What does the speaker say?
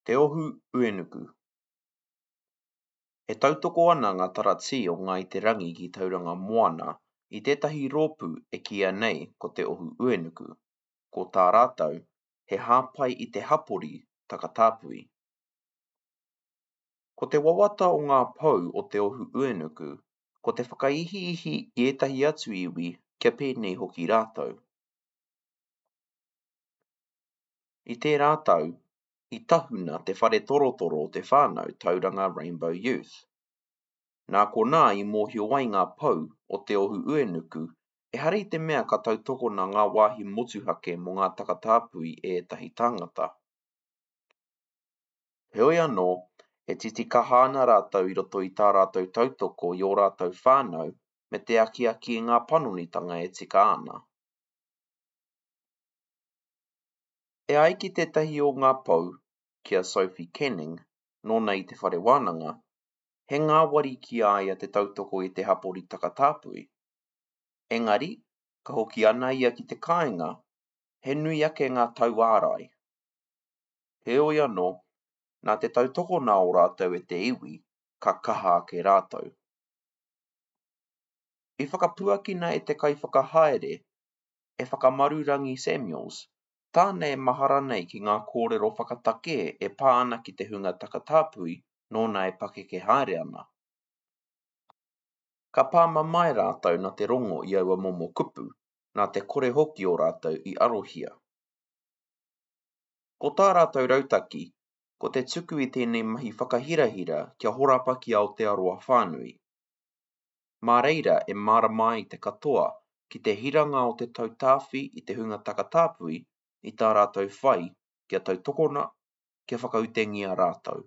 Te Ohu Uenuku E tautoko ana ngā taratī o Ngāi Te Rangi ki Tauranga Moana i tētahi rōpū e kīia nei ko Te Ohu Uenuku, ko tā rātou, he hāpai i te hapori takatāpui. Ko te wawata o ngā pou o Te Ohu Uenuku, ko te whakaihiihi i ētahi atu iwi kia pēnei hoki rātou. I tērā tau, i tahuna te whare torotoro o te whānau Tauranga Rainbow Youth. Nā konā i mōhio ai ngā pou o Te Ohu Uenuku ehara i te mea ka tautokona ngā wāhi motuhake mō ngā takatāpui e ētahi tāngata. Heoi anō, e titikaha ana rātou i roto i tā rātou tautoko i ō rātou whānau me te akiaki i ngā panonitanga e tika ana. E ai ki tētahi o ngā pou, ki a Sophie Canning, nōna i te whare wānanga, he ngāwari ki a ia te tautoko i te hapori takatāpui. Engari, ka hoki ana ia ki te kāinga, he nui ake ngā tauārai. Heoi anō, nā te tautokona o rātou e te iwi, ka kaha ake rātou. I whakapuakina e te kaiwhakahaere, e Whakamarurangi Samuels, tāna e mahara nei ki ngā kōrero whakatakē e pā ana ki te hunga takatāpui nōna e pakeke haere ana. Ka pā mamae rātou nā te rongo i aua momo kupu, nā te kore hoki o rātou i arohia. Ko tā rātou rautaki, ko te tuku i tēnei mahi whakahirahira kia horapa ki Aotearoa whānui. Mā reira e mārama ai te katoa ki te hiranga o te tautāwhi i te hunga takatāpui i tā rātou whai kia tautokona, kia whakautengia rātou.